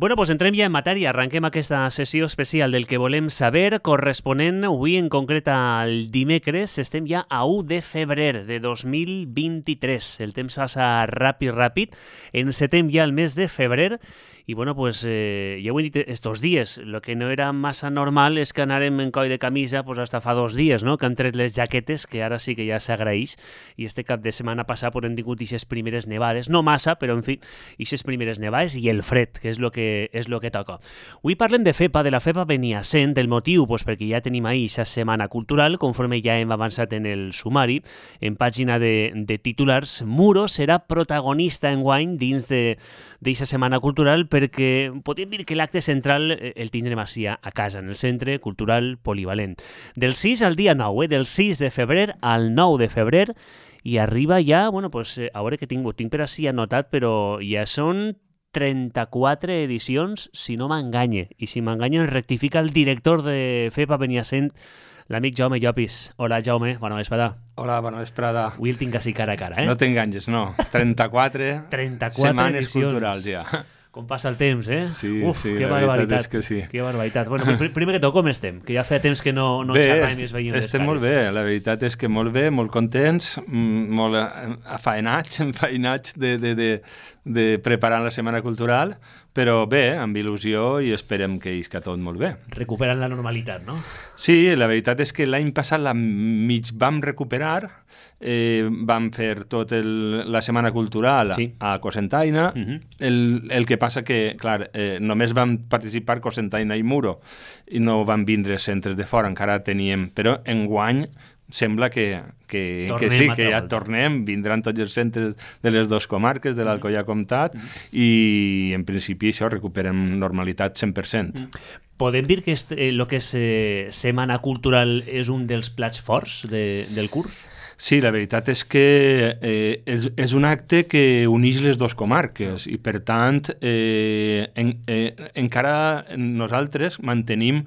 Bueno, doncs entrem ja en matèria. Arrenquem aquesta sessió especial del que volem saber, corresponent avui en concret al dimecres. Estem ja a 1 de febrer de 2023. El temps passa ràpid. Encetem ja el mes de febrer i, bueno, pues, ja ho he dit estos dies. El que no era massa normal és que anàrem en coll de camisa pues, hasta fa 2 dies, no? Que han tret les jaquetes, que ara sí que ja s'agraeix. I este cap de setmana passat pues, hem tingut aquestes primeres nevades. No massa, però en fi, aquestes primeres nevades i el fred, que és el que toca. Avui parlem de FEPA, de la FEPA Beniassent, del motiu, pues, perquè ja tenim ahir aquesta setmana cultural, conforme ja hem avançat en el sumari, en pàgina de titulars. Muro serà protagonista enguany dins d'aquesta setmana cultural perquè podríem dir que l'acte central el tindrem així a casa, en el Centre Cultural Polivalent. Del 6 al dia 9, del 6 de febrer al 9 de febrer, i arriba ja, bueno, pues, a veure que tinc per així anotat, però ja són 34 edicions, si no m'enganye. I si m'enganya, rectifica el director de FEPA Beniassent, l'amic Jaume Llopis. Hola, Jaume, bona vesprada. Hola, bona vesprada. Avui el tinc així cara a cara, eh? No t'enganyes, no. 34 setmanes edicions. Culturals, ja. Com passa el temps, eh? Sí, Uf, sí, que la veritat és que sí. Que barbaritat. Bueno, primer que tot, com estem? Que ja feia temps que no xerràvem i es veiem les cares. Estem molt bé, la veritat és que molt bé, molt contents, molt afeinats de preparar la Setmana Cultural, però bé, amb il·lusió i esperem que isca tot molt bé. Recuperant la normalitat, no? Sí, la veritat és que l'any passat la mig vam recuperar, vam fer tota la Setmana Cultural a Cocentaina. El que passa que, clar, només vam participar Cocentaina i Muro i no van vindre centres de fora, encara teníem, però enguany sembla que sí, que ja tornem, vindran tots els centres de les dues comarques, de l'Alcoià Comtat, i en principi això recuperem normalitat 100%. Podem dir que el que és Setmana Cultural és un dels plats forts del curs? Sí, la veritat és que és un acte que uneix les dues comarques i, per tant, encara nosaltres mantenim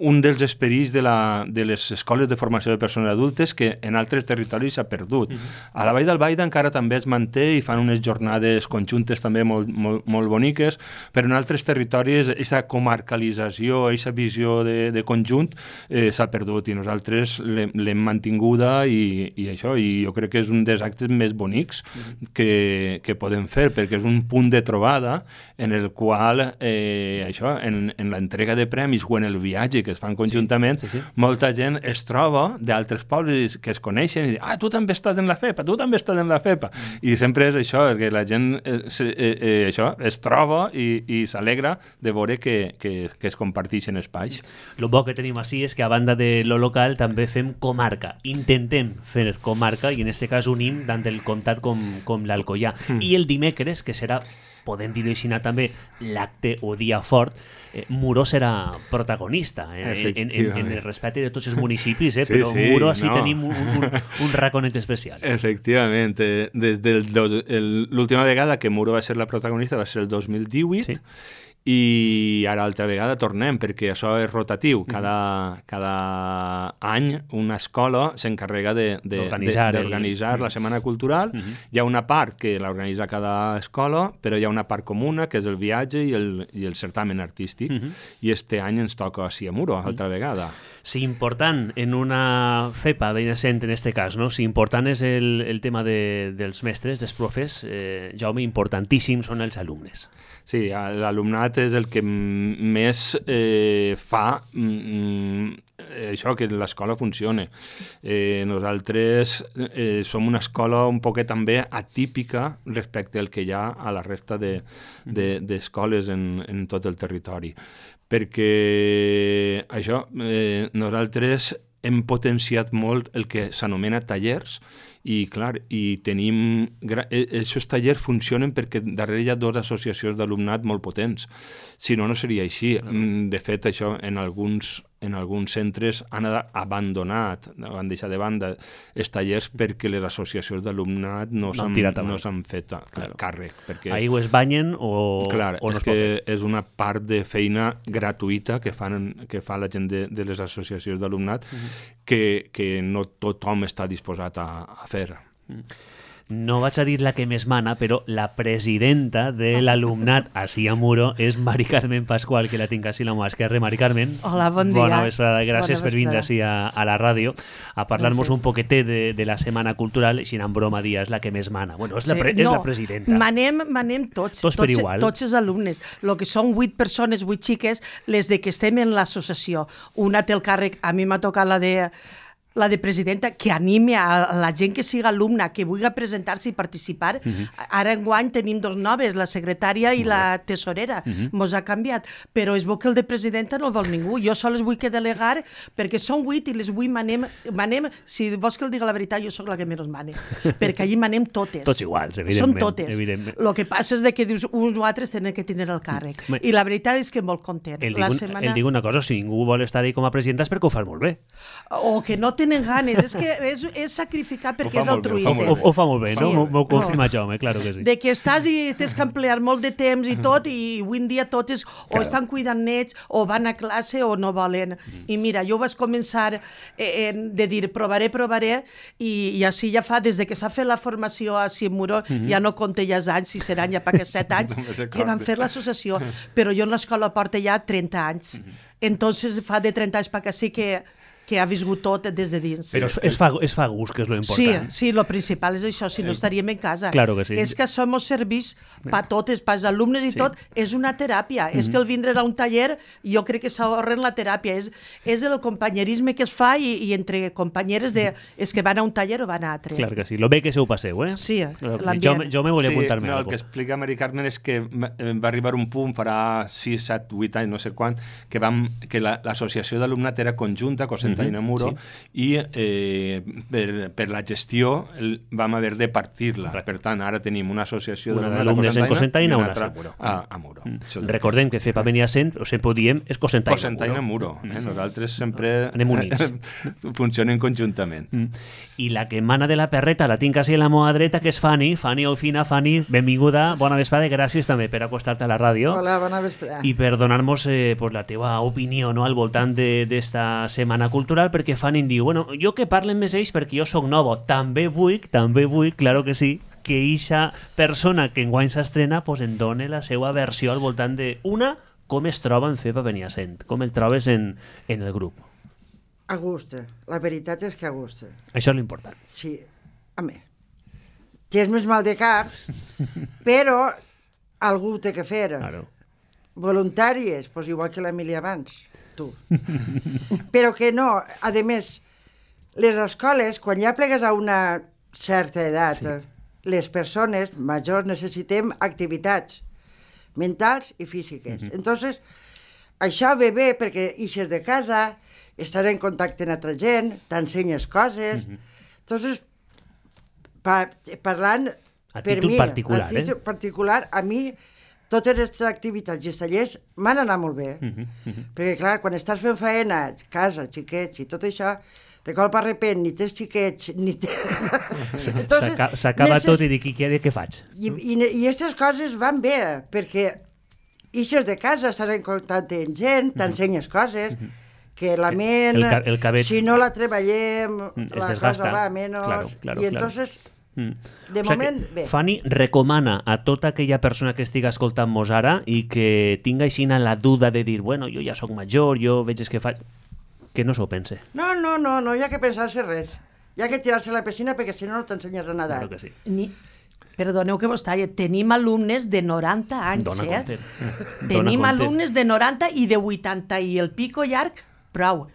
un dels esperits de les escoles de formació de persones adultes que en altres territoris s'ha perdut. A la Vall d'Albaida encara també es manté i fan unes jornades conjuntes també molt boniques, però en altres territoris aquesta comarcalització, aquesta visió de conjunt s'ha perdut i nosaltres l'hem mantinguda i això, i jo crec que és un dels actes més bonics que podem fer, perquè és un punt de trobada en el qual això, en l'entrega de premis o en el viatge que es fan conjuntament, molta gent es troba d'altres pobles que es coneixen i diuen, tu també estàs en la FEPA, tu també estàs en la FEPA. I sempre és això, que la gent es troba i s'alegra de veure que es comparteixen espais. El bo que tenim així és que a banda de lo local també fem comarca, intentem fer comarca i en aquest cas unim tant el comtat com l'Alcoià. I el dimecres, que serà, podem dir-ho així també, l'acte o dia fort, Muro serà protagonista en el respecte de tots els municipis, però Muro així tenim un raconet especial. Efectivament, des de l'última vegada que Muro va ser la protagonista va ser el 2018, i ara altra vegada tornem, perquè això és rotatiu. Cada any una escola s'encarrega d'organitzar la Setmana Cultural. Hi ha una part que l'organitza cada escola, però hi ha una part comuna, que és el viatge i el certamen artístic. I este any ens toca així a Muro, altra vegada. Si important en una FEPA Beniassent, en este cas, no? Si important és el tema dels mestres, dels profes, Jaume, importantíssim són els alumnes. Sí, l'alumnat és el que més fa això, que l'escola funcione. Nosaltres som una escola un poquet també atípica respecte al que hi ha a la resta d'escoles en tot el territori. Perquè això, nosaltres hem potenciat molt el que s'anomena tallers i, clar, aquests tallers funcionen perquè darrere hi ha dues associacions d'alumnat molt potents. Si no, no seria així. De fet, això en alguns centres han abandonat, han deixat de banda els tallers perquè les associacions d'alumnat no s'han fet càrrec. Ahí o es banyen o no es pot fer. És una part de feina gratuïta que fa la gent de les associacions d'alumnat que no tothom està disposat a fer. no vaig a dir la que més mana, però la presidenta de l'alumnat així a Muro és Mari Carmen Pasqual, que la tinc així a la mà esquerra. Mari Carmen, hola, bon dia. Bona vesprada. Gràcies Bona per vindre vesprada. així a la ràdio a parlar-nos Gràcies. un poquetet de la setmana cultural, així en broma dia, és la que més mana. Bueno, és la presidenta. Manem tots per igual. Tots els alumnes. El que són 8 persones, 8 xiques, les de que estem en l'associació. Una té el càrrec, a mi m'ha tocat la de presidenta, que anime a la gent que siga alumna, que vulgui presentar-se i participar. Ara enguany tenim 2 noves, la secretària i la tesorera. Mos ha canviat. Però es veu que el de presidenta no el vol ningú. Jo sols vull que delegar, perquè són 8 i les 8 manem, si vols que el diga la veritat, jo sóc la que menys mane. Perquè allí manem totes. Tots iguals, evidentment. Són totes. Evidentment. El que passa és que dius, uns o altres tenen que tindre el càrrec. I la veritat és que molt content. El dic una cosa, si ningú vol estar ahí com a presidenta és perquè ho fas molt bé. O que no tenen ganes, és que és sacrificar perquè és altruista. Ho fa molt bé, no? M'ho confirma Jaume, claro que sí. De que estàs i tens que emplear molt de temps i tot, i avui en dia totes o estan cuidant nets, o van a classe o no volen. I mira, jo vaig començar de dir provaré, i així ja fa, des de que s'ha fet la formació a Muro, ja no compte ja els anys, si seran ja per aquests 7 anys, que van fer l'associació. Però jo en l'escola porta ja 30 anys. Entonces fa de 30 anys per que sí que ha viscut tot des de dins. Però es fa gust, que és lo important. Sí, lo principal és això, si no estaríem en casa. Claro que sí. És que som serveis per totes, per als alumnes i tot, és una teràpia. És que el vindre a un taller, jo crec que s'ahorren la teràpia. És el companyerisme que es fa i entre companyeres és que van a un taller o van a altre. Clar que sí. Lo bé que se ho passeu, eh? Sí, l'ambient. Jo me volia apuntar-me el algo. que explica Mari Carmen és que va arribar un punt, farà 6, 7, 8 anys, no sé quant, que l'associació d'alumnat era conjunta, Cosentany a Muro, i per la gestió vam haver de partir-la. Per tant, ara tenim una associació d'alumnes en Cosentaina i una altra a Muro. Recordem que FEPA venia sent, o sempre ho diem, és Cosentaina a Muro. Nosaltres sempre anem units. Funcionem conjuntament. I la que mana de la perreta la tinc quasi a la meva dreta, que és Fanny Olfina. Fanny, benvinguda, bona vesprada, gràcies també per acostar-te a la ràdio. Hola, bona vesprada. I per donar-nos la teva opinió al voltant d'esta setmana cultural, perquè Fanny em diu, bueno, jo que parlen més ells perquè jo sóc novo, també vull, claro que sí, que eixa persona que enguany s'estrena en doni la seva versió al voltant de com es troba en FEPA Beniasent, com el trobes en el grup. A gust, la veritat és que a gust. Això és l'important. Sí, home, tens més mal de cap, però algú té que fer. Claro. Voluntàries, doncs igual que l'Emília abans, tu. Però que no, a més, les escoles, quan ja plegues a una certa edat, les persones majors necessitem activitats mentals i físiques. Entonces, això ve bé perquè ixes de casa, estàs en contacte amb altra gent, t'ensenyes coses. Entonces, parlant per mi, a títol particular, a mi totes aquestes activitats i els tallers m'han anat molt bé. Perquè, clar, quan estàs fent feina, casa, xiquets i tot això, de cop a repent ni tens xiquets, ni s'acaba tot i dic, què faig? I aquestes coses van bé, perquè ixes de casa, estàs en contacte amb gent, t'ensenyes coses, que la ment, si no la treballem, la cosa va menys, i entonces, de moment, bé. Fanny recomana a tota aquella persona que estiga escoltant-nos ara i que tinga així la duda de dir, bueno, jo ja sóc major, jo veig que faig... que no s'ho pense. No, hi ha que pensar-se res. Hi ha que tirar-se a la piscina perquè si no t'ensenyes a nedar. Claro que sí. Perdoneu que vos talli, tenim alumnes de 90 anys, Tenim alumnes de 90 i de 80 i el pico llarg, prou.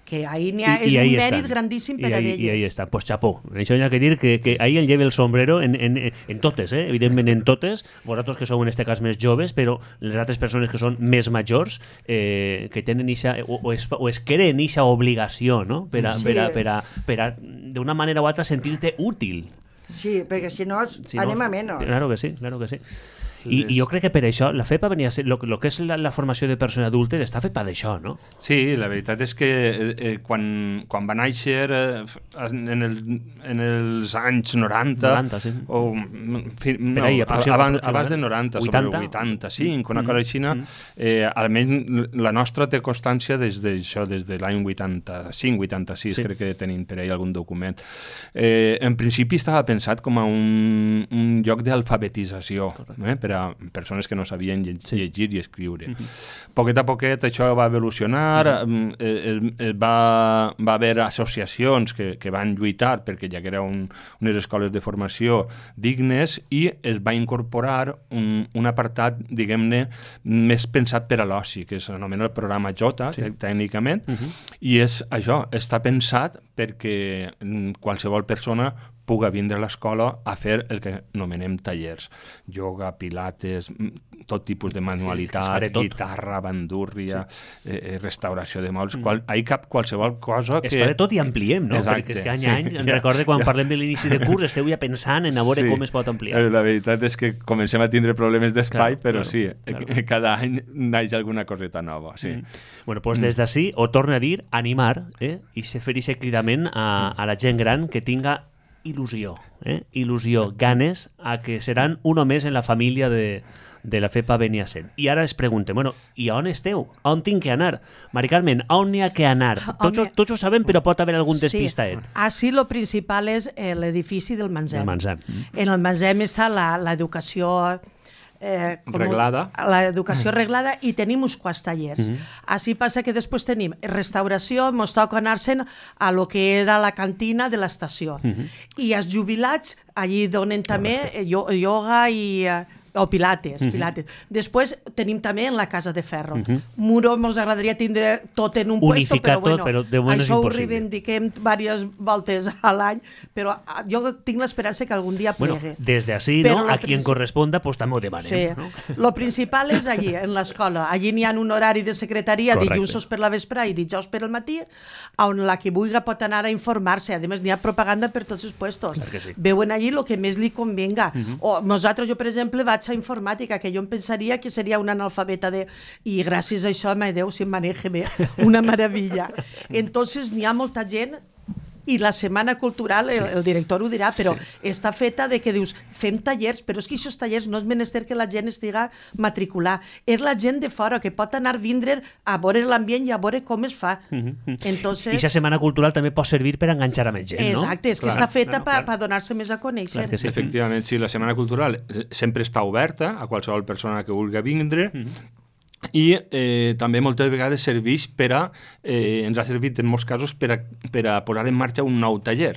Que ahí és un mèrit grandíssim per a elles. I ahí està, pues xapó. Això hi ha que dir que ahí el lleve el sombrero en totes, evidentment en totes, vosaltres que sou en este cas més joves, però les altres persones que són més majors, que tenen ixa, o es creen ixa obligació, no? Per a d'una manera o altra sentir-te útil. Sí, perquè si no anem a menys. Claro que sí. I jo crec que per això la FEPA venia a ser, el que és la formació de persones adultes està fet per això, no? Sí, la veritat és que quan va néixer en els anys 90 sí. o abans de 90, sobre 85, una cosa així, almenys la nostra té constància des de l'any 85-86, crec que tenim per ahí algun document. En principi estava pensat com a un lloc d'alfabetització per a persones que no sabien llegir i escriure. Poquet a poquet això va evolucionar, va haver associacions que van lluitar perquè hi haguera unes escoles de formació dignes i es va incorporar un apartat, diguem-ne, més pensat per a l'oci, que s'anomena el programa Jota, tècnicament, i és això, està pensat perquè qualsevol persona puga vindre a l'escola a fer el que anomenem tallers. Ioga, pilates, tot tipus de manualitat, guitarra, bandúrria, restauració de mobles, hi cap qualsevol cosa que... Es farà tot i ampliem, no? Perquè que any a any, recordo quan parlem de l'inici de curs, esteu ja pensant en a veure com es pot ampliar. La veritat és que comencem a tindre problemes d'espai, però sí, cada any naix alguna coseta nova, sí. Bueno, doncs des d'ací, ho torno a dir, animar, i se fer aquest cridament a la gent gran que tinga il·lusió, ganes a que seran uno més en la família de la FEPA Beniassent. I ara es pregunten, bueno, i on esteu? On tinc que anar? Mari Carmen, on n'hi ha que anar? Tots ho sabem, però pot haver algun despistaet. Sí, lo principal és l'edifici del Manzem. En el Manzem està l'educació reglada. L'educació reglada i tenim uns quants tallers. Així passa que després tenim restauració, ens toca anar-se'n a lo que era la cantina de l'estació. I els jubilats allí donen també ioga i... o pilates. Després tenim també en la Casa de Ferro. Muro ens agradaria tindre tot en un puesto, però bueno, això ho reivindiquem diverses voltes a l'any, però jo tinc l'esperança que algun dia plegue. Des d'ací, a qui en corresponda, doncs també ho demanem. Sí, lo principal és allí, en l'escola. Allí n'hi ha un horari de secretaria, dilluns per la vespre i dijous per al matí, on la que vulgui pot anar a informar-se. A més, n'hi ha propaganda per tots els puestos. Veuen allí el que més li convenga. Nosaltres, jo, per exemple, vaig a informàtica, que jo em pensaria que seria una analfabeta i gràcies a això, mai Déu, si em maneja bé, una meravella. Entonces, n'hi ha molta gent i la setmana cultural, el director ho dirà, però està feta de que dius, fem tallers, però és que aquests tallers no és menester que la gent estiga matricular. És la gent de fora que pot anar a vindre a veure l'ambient i a veure com es fa. Entonces... I aquesta setmana cultural també pot servir per enganxar a més gent, no? Exacte, és que està feta per donar-se més a conèixer. Efectivament, sí, la setmana cultural sempre està oberta a qualsevol persona que vulgui vindre, i també moltes vegades serveix ens ha servit en molts casos per a posar en marxa un nou taller.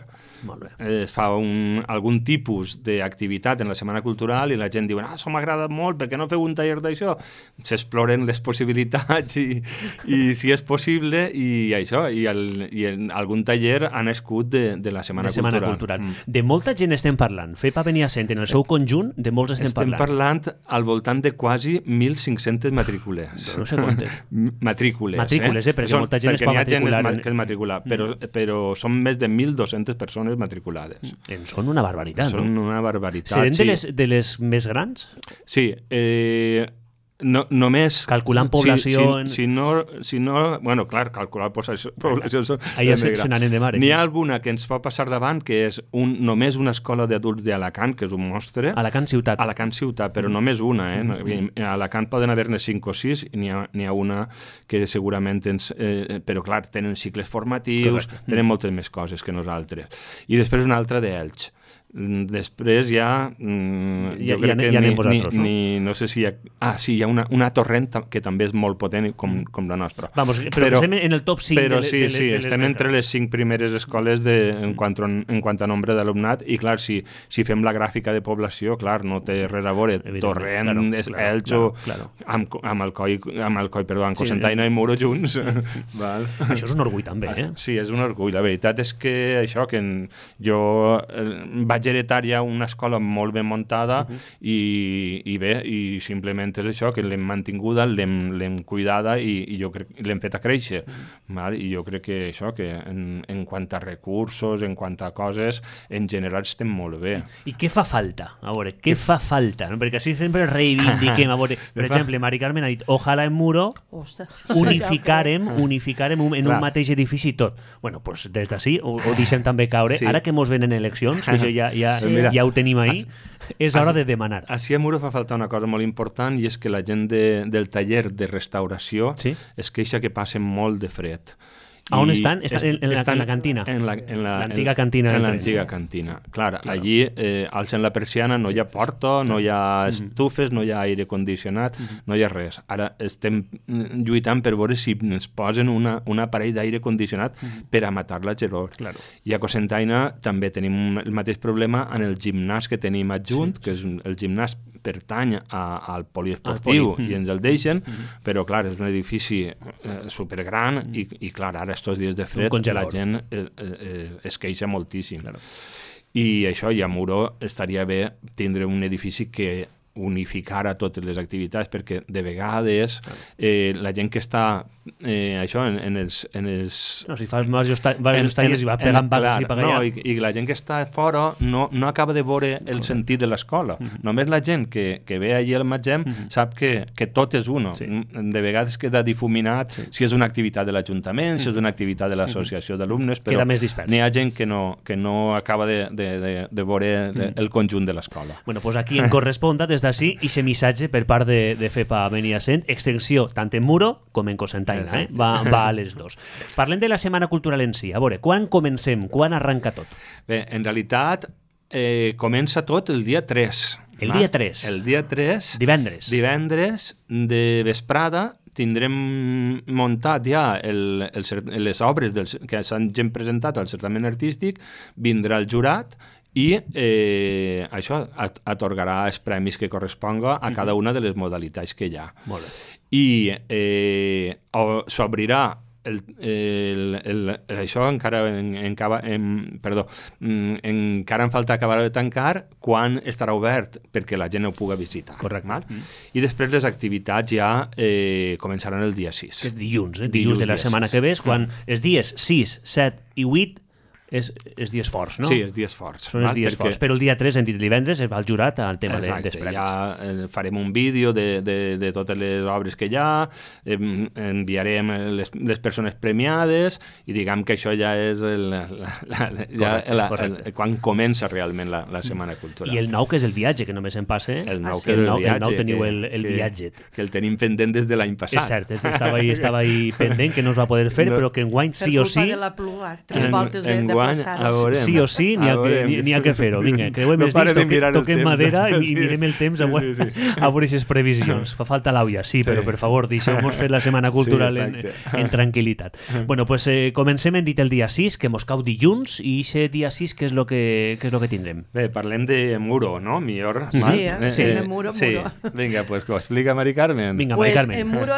Es fa algun tipus d'activitat en la setmana cultural i la gent diu, això m'agrada molt, per què no feu un taller d'això? S'exploren les possibilitats i si és possible i això, i algun taller ha nascut de la setmana cultural. De molta gent estem parlant. FEPA Beniassent, en el seu conjunt, de molts estem parlant. Estem parlant al voltant de quasi 1.500 matrícules. No sé quantes. Matrícules, perquè molta gent es pot matricular. Que és matricular, però són més de 1.200 persones matriculades. Són una barbaritat, no? Són una barbaritat, Serem de les més grans? Sí, només... Calculant població... Si no... Bueno, clar, calcular població són... Allà se n'anen de mare. N'hi ha alguna que ens pot passar davant, que és només una escola d'adults d'Alacant, que és un monstre. Alacant ciutat. Alacant ciutat, però només una, A Alacant poden haver-ne 5 o 6, i n'hi ha una que segurament però clar, tenen cicles formatius, tenen moltes més coses que nosaltres. I després una altra d'Elx. Després ja jo crec que no sé si hi ha... Sí, hi ha una Torrent que també és molt potent com la nostra. Però estem en el top 5 però sí, estem entre les 5 primeres escoles en quant a nombre d'alumnat i clar, si fem la gràfica de població, clar, no té res a veure Torrent, Elx o amb Cocentaina i Muro junts. Això és un orgull també, eh? Sí, és un orgull. La veritat és que això, que jo vaig vaig heretar ja una escola molt ben muntada i bé, i simplement és això, que l'hem mantinguda, l'hem cuidada i jo crec que l'hem fet a créixer. Val? I jo crec que això, que en quant a recursos, en quant a coses, en general estem molt bé. I què fa falta? A veure, què fa falta? No? Perquè així sempre reivindiquem. A veure, per exemple, Mari Carmen ha dit, ojalà en Muro unificarem en un mateix edifici tot. Bueno, doncs des d'ací ho deixem també caure. Ara que mos venen eleccions, que això ja ho tenim ahí, és hora de demanar. Així a Muro fa falta una cosa molt important i és que la gent del taller de restauració es queixa que passen molt de fred. A on estan? Estan en la cantina? En l'antiga cantina. En l'antiga cantina. Clar, allí alcen la persiana, no hi ha porta, no hi ha estufes, no hi ha aire condicionat, no hi ha res. Ara estem lluitant per veure si ens posen un aparell d'aire condicionat per a matar la gelor. I a Cocentaina també tenim el mateix problema en el gimnàs que tenim adjunt, que és el gimnàs pertany al poliesportiu i ens el deixen, però clar, és un edifici supergran i clar, ara estos dies de fred la gent es queixa moltíssim. I això, i a Muro estaria bé tindre un edifici que unificara totes les activitats, perquè de vegades la gent que està això en els... No, si fas diversos talles i va pegant pagues i pagar allà. I la gent que està fora no acaba de veure el sentit de l'escola. Només la gent que ve allí al Magem sap que tot és uno. De vegades queda difuminat si és una activitat de l'Ajuntament, si és una activitat de l'associació d'alumnes, però n'hi ha gent que no acaba de veure el conjunt de l'escola. Bueno, doncs aquí en corresponda des d'ací i aquest missatge per part de FEPA Beniassent, extensió tant en Muro com en Cocentaina. Va a les dos. Parlem de la Setmana Cultural en si. A veure, quan comencem? Quan arranca tot? Bé, en realitat comença tot el dia 3. El dia 3? El dia 3. Divendres. Divendres de vesprada tindrem muntat ja les obres que s'han presentat al certament artístic, vindrà el jurat i això atorgarà els premis que corresponga a cada una de les modalitats que hi ha. Molt bé. I s'obrirà això encara en falta acabar de tancar quan estarà obert perquè la gent ho pugui visitar. Correcte. I després les activitats ja començaran el dia 6. Que és dilluns, dilluns de la setmana que ve, quan els dies 6, 7 i 8 és dies forts, no? Sí, és dies forts. Són els dies forts, però el dia 3, hem dit divendres, es va al jurat al tema dels premis. Ja farem un vídeo de totes les obres que hi ha, enviarem les persones premiades i diguem que això ja és quan comença realment la Setmana Cultural. I el 9, que és el viatge, que només en passa. El 9, que és el viatge. El 9 teniu el viatge. Que el tenim pendent des de l'any passat. És cert, estava ahí pendent, que no es va poder fer, però que enguany sí o sí... Per culpa de la pluja, 3 voltes de sí o sí, n'hi ha que fer-ho. Vinga, creuem els dits, toquem madera i mirem el temps a veure aquestes previsions. Fa falta l'auia, sí, però per favor, deixeu-nos fer la Setmana Cultural en tranquil·litat. Bueno, pues comencem, hem dit el dia 6, que mos cau dilluns, i aquest dia 6 què és el que tindrem? Bé, parlem de Muro, no? Millor. Sí, de Muro. Vinga, pues ho explica Mari Carmen. Vinga, Mari Carmen. En Muro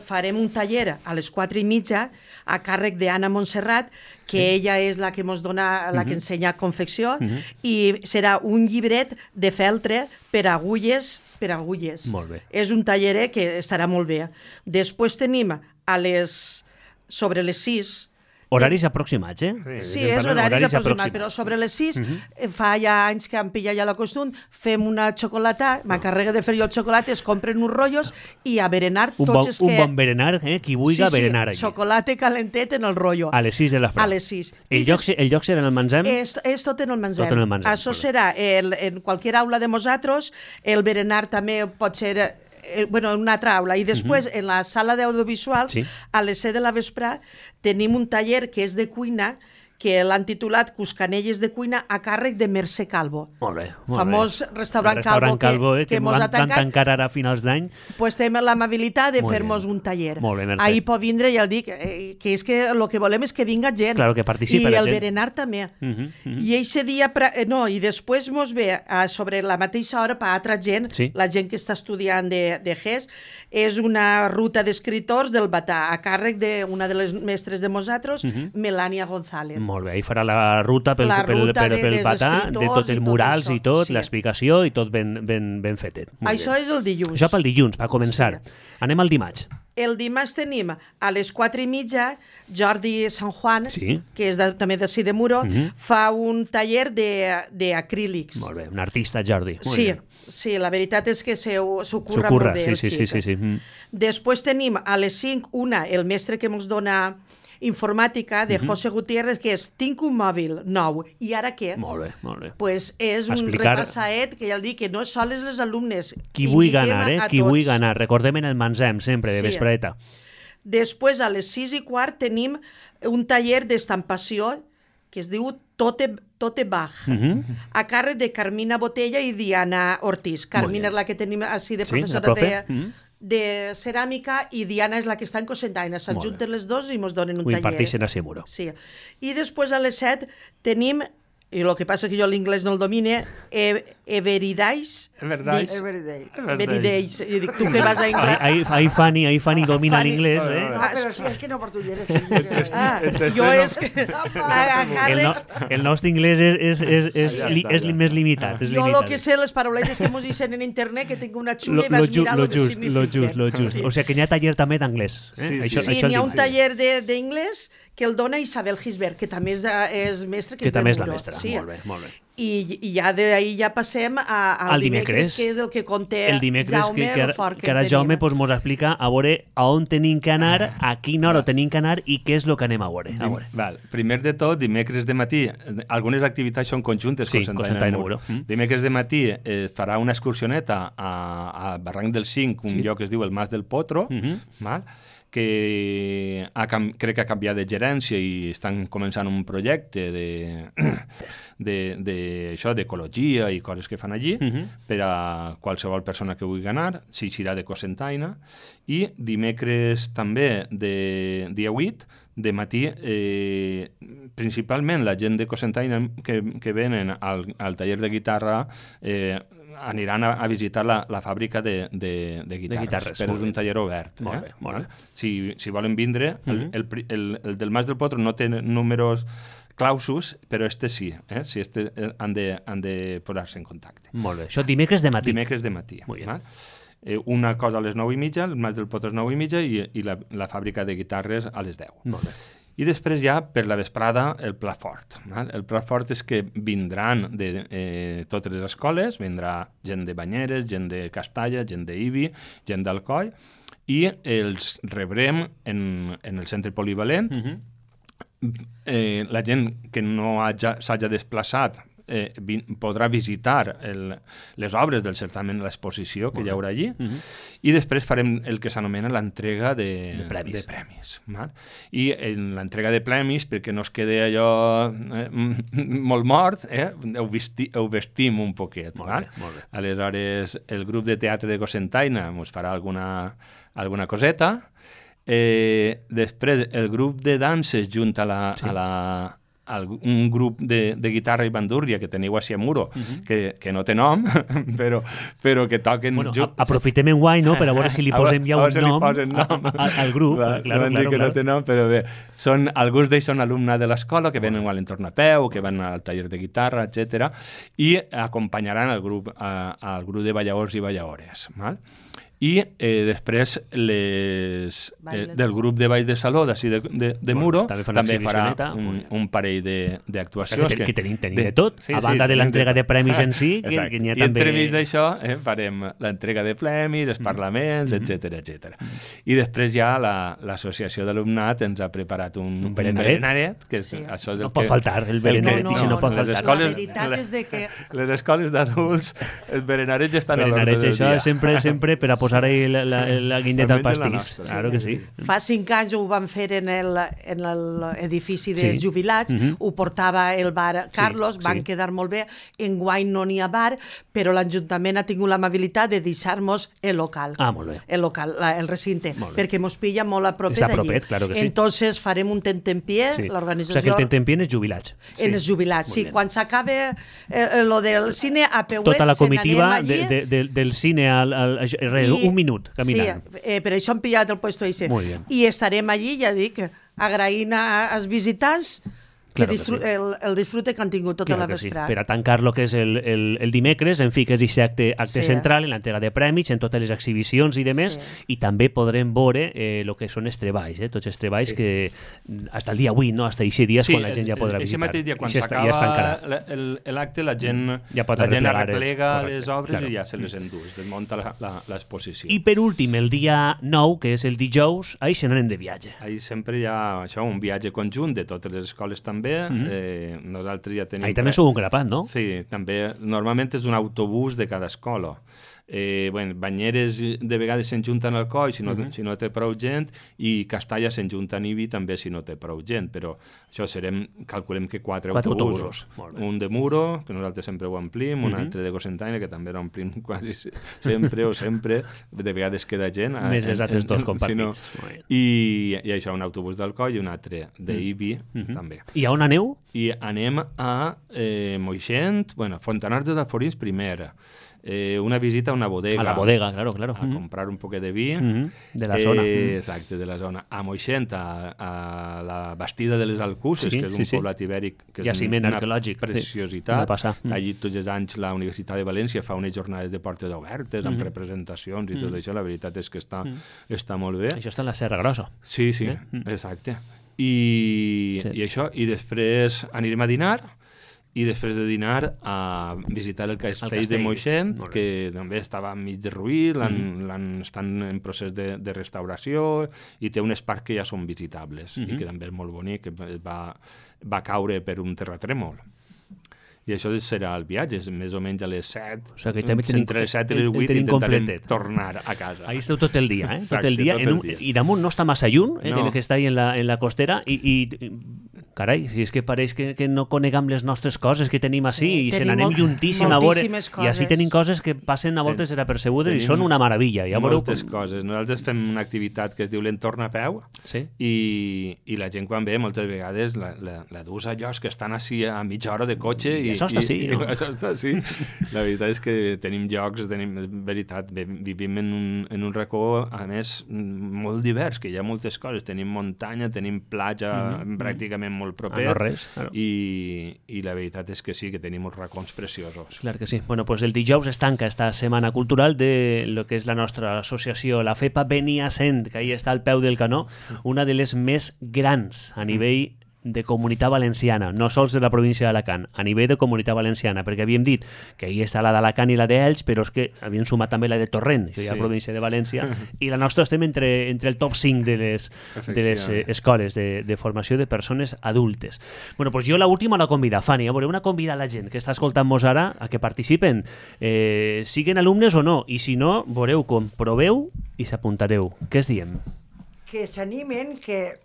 farem un taller a les 4:30 a càrrec d'Anna Montserrat, que ella és la que ens dona, la que ensenya confecció, i serà un llibret de feltre per agulles. Molt bé. És un taller que estarà molt bé. Després tenim sobre les 6... Horaris aproximats, Sí, és horaris aproximats, però sobre les 6, fa ja anys que han pillat ja la costum, fem una xocolata, m'encarrega de fer jo el xocolata, es compren uns rotllos i a berenar tots els que... Un bon berenar, qui vulgui berenar allí. Xocolata calentet en el rotllo. A les 6 de l'esprà. A les 6. El lloc serà en el Manzem? És tot en el Manzem. Això serà en qualsevol aula de nosaltres, el berenar també pot ser... en una altra aula, i després en la sala d'audiovisuals, a les 7 de la vesprà, tenim un taller que és de cuina, que l'han titulat Cuscanelles de cuina a càrrec de Mercè Calvo. Molt bé. Famós restaurant Calvo que mos ha tancat. Van tancar ara a finals d'any. Pues tenim l'amabilitat de fer-nos un taller. Molt bé, Mercè. Ahir pot vindre, ja el dic, que és que el que volem és que vinga gent. Claro, que participi la gent. I el berenar també. I eixe dia, i després mos ve sobre la mateixa hora per altra gent, la gent que està estudiant de GES, és una ruta d'escriptors del Batà, a càrrec d'una de les mestres de nosaltres, Melania González. Molt bé, ahí farà la ruta pel patà, de tots els murals i tot, l'explicació i tot ben fetet. Això és el dilluns. Això pel dilluns, per començar. Anem al dimarts. El dimarts tenim a les 4:30 Jordi San Juan, que és també d'ací de Muro, fa un taller d'acrílics. Molt bé, un artista, Jordi. Sí, la veritat és que s'ho curra molt bé el xic. Sí. Després tenim a les 5 el mestre que ens dona informàtica de José Gutiérrez, que és tinc un mòbil nou, i ara què? Molt bé. Pues és un repassaet que ja el dic, que no sols les alumnes. Qui vulgui ganar, qui vulgui ganar. Recordem en el Mansem, sempre, de vespreta. Després, a les 6:15, tenim un taller d'estampació que es diu Tote Bach, a càrrec de Carmina Botella i Diana Ortiz. Carmina és la que tenim així de professora de ceràmica i Diana és la que està en Cocentaina. S'adjunten les dos i ens donen un taller. Ho imparteixen a Seguro. Sí. I després a les 7 tenim, i el que passa és que jo l'inglès no el domine, Everydays. Everydays. I dic, tu que vas a anglès... Ahí Fanny domina l'inglés, eh? No, però sí, és que no portuguès. Jo és que... El nostre inglès és més limitat. Jo el que sé, les parauletes que ens dicen en internet, que tinc una xulla i vas mirar el que significa. Lo just. O sigui que n'hi ha taller també d'anglès. Sí, n'hi ha un taller d'inglès que el dona Isabel Gisbert, que també és mestra, que és de Muro. Que també és la mestra, molt bé. I ja d'ahir ja passem al dimecres, que és el que conté Jaume, el fort que ara Jaume ens explica a veure a on tenim que anar, a quina hora tenim que anar i què és el que anem a veure. Primer de tot, dimecres de matí, algunes activitats són conjuntes, Cocentaina Muro. Dimecres de matí farà una excursioneta a Barranc del Cinc, un lloc que es diu el Mas del Potro, que crec que ha canviat de gerència i estan començant un projecte d'ecologia i coses que fan allí per a qualsevol persona que vulgui anar, s'eixirà de Cocentaina. I dimecres també, dia 8, de matí, principalment la gent de Cocentaina que venen al taller de guitarra aniran a visitar la fàbrica de guitarres, però és un taller obert. Molt bé. Si volen vindre, el del Mas del Potro no té números clausus, però sí. Si han de posar-se en contacte. Molt bé. Això dimecres de matí. Dimecres de matí. Una cosa a les 9:30, el Mas del Potro a les 9:30 i la fàbrica de guitarres a les 10. Molt bé. I després ja, per la vesprada, el plat fort. El plat fort és que vindran de totes les escoles, vindrà gent de Banyeres, gent de Castalla, gent d'Ibi, gent d'Alcoi, i els rebrem en el centre polivalent. La gent que no s'hagi desplaçat podrà visitar les obres del certamen, l'exposició que hi haurà allí, i després farem el que s'anomena l'entrega de premis. I en l'entrega de premis, perquè no es quede allò molt mort, ho vestim un poquet. Aleshores, el grup de teatre de Cocentaina ens farà alguna coseta. Després, el grup de danses junt a un grup de guitarra i bandúrria que teniu a Muro, que no té nom, però que toquen... Aprofitem en guany, no?, per a veure si li posem ja un nom al grup. Que no té nom, però bé, alguns d'ells són alumnes de l'escola, que venen a l'entorn a peu, que van al taller de guitarra, etc. I acompanyaran el grup de balladors i balladores. I després del grup de ball de saló d'ací de Muro també farà un parell d'actuacions. Que tenim de tot, a banda de l'entrega de premis en si, que n'hi ha també... I entremig d'això farem l'entrega de premis, els parlaments, etc. I després ja l'associació d'alumnat ens ha preparat un berenaret. No pot faltar, el berenaret, i si no pot faltar. La veritat és que... Les escoles d'adults, els berenarets ja estan a l'ordre del dia. Això sempre per a posar ahí la guindeta al pastís. Claro que sí. Fa 5 anys ho van fer en l'edifici dels jubilats, ho portava el bar Carlos, van quedar molt bé. Enguany no n'hi ha bar, però l'Ajuntament ha tingut l'amabilitat de deixar-nos el local. Molt bé. El local, el recinte, perquè mos pilla molt a propet allí. Està propet, claro que sí. Entonces farem un tentempié, l'organització... O sigui que el tentempié en els jubilats. En els jubilats, sí. Quan s'acabe lo del cine, a Peuet, tota la comitiva del cine un minut caminant. Sí, per això hem pillat el puesto ese. I estarem allí, ja dic, agraint als visitants Claro que sí. El disfrute que han tingut tota la vesprada. Per a tancar lo que és el dimecres, en fi, que és aquest acte central en l'entrega de prèmits, en totes les exhibicions i demés, i també podrem veure el que són els treballs, tots els treballs que fins el dia 8, no? Fins a 6 dies, quan la gent ja podrà visitar. Sí, mateix dia, quan s'acaba l'acte, la gent arreplega les obres i ja se les endús, desmunta l'exposició. I per últim, el dia 9, que és el dijous, ahí se n'anem de viatge. Ahí sempre hi ha un viatge conjunt de totes les escoles també. Nosaltres ja tenim... Ahí també sou un grapat, no? Sí, també. Normalment és un autobús de cada escola. Banyeres de vegades s'enjunten al coll si no té prou gent, i Castalla s'enjunta a Ibi també si no té prou gent, però això calculem que 4 autobusos. Un de Muro, que nosaltres sempre ho omplim, un altre de Cocentaina, que també l'omplim quasi sempre o sempre, de vegades queda gent. Més els altres dos compartits. I això, un autobús del coll i un altre d'Ibi també. I a on aneu? I anem a Moixent, Fontanars dels Alforins primera. Una visita a una bodega. A la bodega, claro. A comprar un poquet de vi. De la zona. Exacte, de la zona. A Moixent, a la Bastida de les Alcuses, que és un poblat ibèric, que és una preciositat. Allí tots els anys la Universitat de València fa unes jornades de portes obertes, amb representacions i tot això. La veritat és que està molt bé. Això està en la Serra Grossa. Sí, exacte. I això, i després anirem a dinar, i després de dinar a visitar el castell de Moixent, que també estava enmig de ruïr, estan en procés de restauració, i té unes parts que ja són visitables, i que també és molt bonic, que va caure per un terratrèmol. I això serà el viatge, més o menys a les 7, entre les 7 i les 8 intentarem tornar a casa. Ahí esteu tot el dia, tot el dia. I damunt no està massa lluny, que està ahí en la costera, i carai, si és que pareix que no conegam les nostres coses que tenim així, i se n'anem juntíssim a veure, i així tenim coses que passen a voltes desapercebudes i són una meravella. Moltes coses. Nosaltres fem una activitat que es diu l'entorn a peu, i la gent quan ve moltes vegades la dus a llocs que estan així a mitja hora de cotxe, i això està sí, no? Això està sí. La veritat és que tenim llocs, veritat, vivim en un racó, a més, molt divers, que hi ha moltes coses. Tenim muntanya, tenim platja pràcticament molt proper, no res, i la veritat és que sí, que tenim uns racons preciosos. Clar que sí. Bueno, pues el dijous es tanca esta setmana cultural de lo que és la nostra associació, la FEPA Beniasent, que ahí està al peu del canó, una de les més grans a nivell de Comunitat Valenciana, no sols de la província d'Alacant, a nivell de Comunitat Valenciana, perquè havíem dit que ahí està la d'Alacant i la d'Elx, però és que havíem sumat també la de Torrent, això ja la província de València, i la nostra estem entre el top 5 de les escoles de formació de persones adultes. Bueno, pues jo l'última la convida, Fanny, voleu convidar a la gent que està escoltant-nos ara a que participen, siguen alumnes o no, i si no, veureu com proveu i s'apuntareu. Què es diem? Que s'animen, que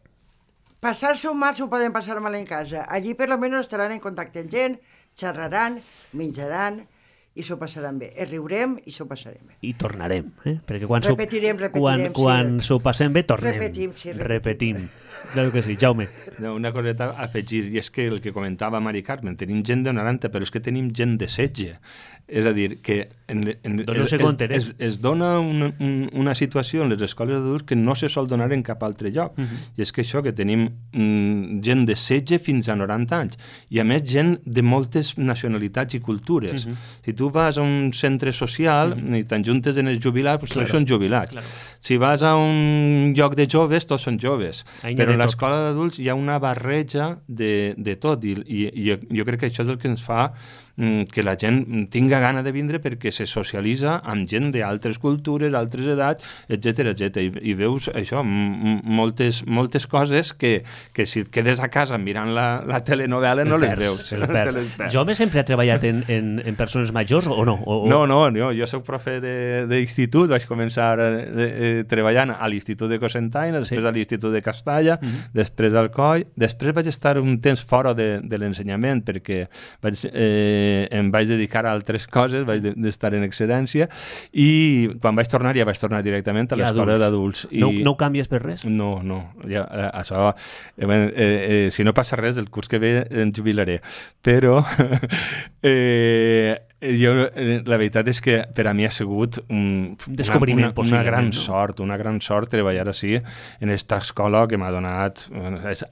passar-se un mal s'ho poden passar mal en casa. Allí per lo menos estaran en contacte amb gent, xerraran, menjaran i s'ho passaran bé. Riurem i s'ho passarem bé. I tornarem, perquè quan s'ho passem bé tornem. Repetim. Claro que sí, Jaume. Una coseta a afegir, i és que el que comentava Mari Carmen, tenim gent de 90, però és que tenim gent de 16. És a dir, que es dona una situació en les escoles d'adults que no se sol donar en cap altre lloc. I és que això, que tenim gent de 16 fins a 90 anys, i a més gent de moltes nacionalitats i cultures. Si tu vas a un centre social i t'enjuntes en els jubilats, tots són jubilats. Si vas a un lloc de joves, tots són joves. Però en l'escola d'adults hi ha una barreja de tot, i jo crec que això és el que ens fa que la gent tinga gana de vindre, perquè se socialitza amb gent d'altres cultures, altres edats, etc. I veus això, moltes coses que si et quedes a casa mirant la telenovela no les veus. Jaume sempre ha treballat en persones majors o no? No, jo soc profe d'institut, vaig començar treballant a l'Institut de Cocentaina, després a l'Institut de Castalla, després al Coll, després vaig estar un temps fora de l'ensenyament, perquè em vaig dedicar a altres coses, vaig d'estar en excedència, i quan vaig tornar, ja vaig tornar directament a l'escola d'adults. No ho canvies per res? No. Això, si no passa res, el curs que ve em jubilaré. Però La veritat és que per a mi ha sigut un descobriment, una gran possiblement, sort, una gran sort treballar així en esta escola que m'ha donat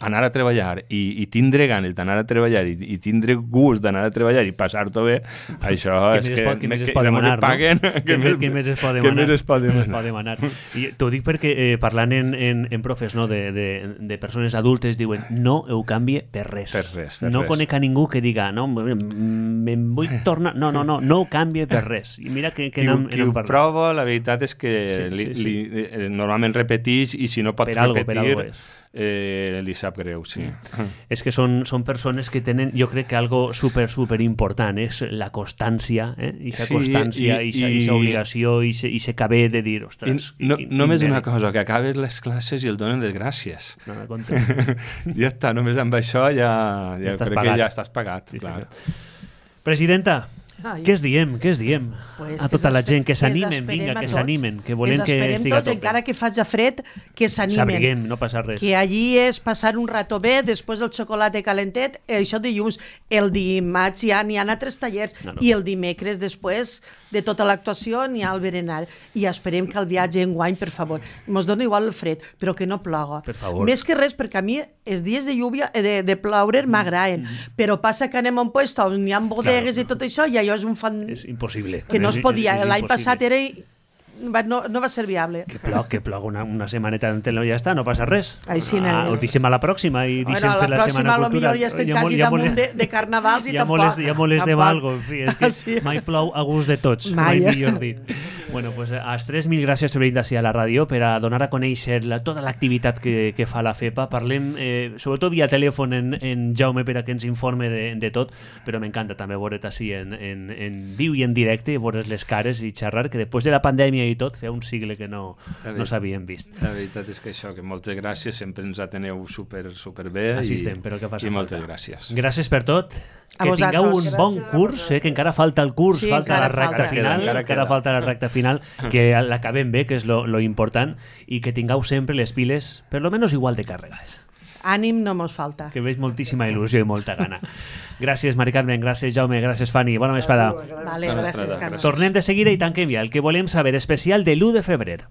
anar a treballar i tindre ganes d'anar a treballar i tindre gust d'anar a treballar i passar-t'ho bé, això és que què més es pot demanar, paguen, no? Què més es pot demanar? I t'ho dic perquè parlant en profes, no, de persones adultes, diuen no ho canvie per res. No conec a ningú que diga no, me'n vull tornar... No ho canvia per res. I mira que qui ho prova, la veritat és que normalment repeteix i si no pot repetir li sap greu, sí. És que són persones que tenen, jo crec que algo super important és la constància, ixa constància, ixa obligació, ixe caber de dir, ostres... Només una cosa, que acabes les classes i el donen les gràcies. Ja està, només amb això ja crec que ja estàs pagat. Presidenta, què es diem? Pues a tota la gent, que s'animen, vinga, que s'animen, que volem que estiga a tope. Encara que faci fred, que s'animen. S'abriguem, no passa res. Que allí és passar un rato bé, després del xocolata calentet, això dilluns, el dimarts ja n'hi ha altres tallers, i el dimecres després de tota l'actuació n'hi ha el berenar. I esperem que el viatge enguany, per favor, mos dona igual el fred, però que no ploga. Per favor. Més que res, perquè a mi els dies de lluvia, de ploure m'agraden, però passa que anem a un puesto on n'hi ha bodegues i tot això, i allò és un fan... És impossible. Que no es podia. L'any passat era... No va ser viable. Que plog una setmaneta d'entén ja està, no passa res. Ho deixem a la pròxima i deixem fer la Setmana Cultural. Potser ja estem quasi damunt de carnavals i tampoc. Ja molestem algo, en fi, és que mai plou a gust de tots, mai millor dit. Bueno, pues als tres, mil gràcies per venir d'ací a la ràdio per a donar a conèixer tota l'activitat que fa la FEPA. Parlem, sobretot via telèfon, en Jaume per a que ens informe de tot, però m'encanta també veure't així en viu i en directe, veure's les cares i xerrar, que després de la pandèmia i tot, feia un sigle que no s'havien vist. La veritat és que això, que moltes gràcies, sempre ens ateneu super bé. Així estem, però que faci falta. I moltes gràcies. Gràcies per tot. Que tingueu un bon curs, que encara falta el curs, falta la recta final, encara falta la recta final, que l'acabem bé, que és lo important, i que tingueu sempre les piles, per lo menos igual de carregades. Ànim no mos falta. Que veig moltíssima il·lusió i molta gana. Gràcies, Mari Carmen, gràcies, Jaume, gràcies, Fanny. Bona vesprada. Vale, gràcies, Carme. Tornem de seguida i tanquem ja el que volem saber especial de l'1 de febrer.